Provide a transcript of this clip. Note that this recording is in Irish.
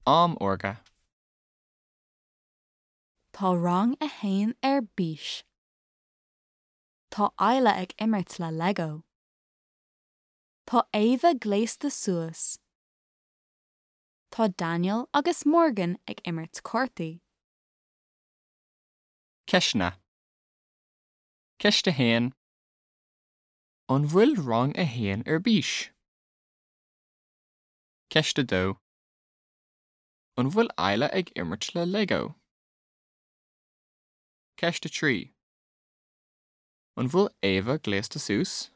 Am órga. Tá rang a haon ar bís. Tá Isla ag imirt le Lego. Tá Éabha gléasta suas. Tá Daniel agus Morgan ag imirt cártaí. Ceisteanna. Ceist 1. An bhfuil rang a haon ar bís? Ceist 2. An bhfuil Isla ag imirt le Lego? Ceist 3. An bhfuil Éabha gléasta suas?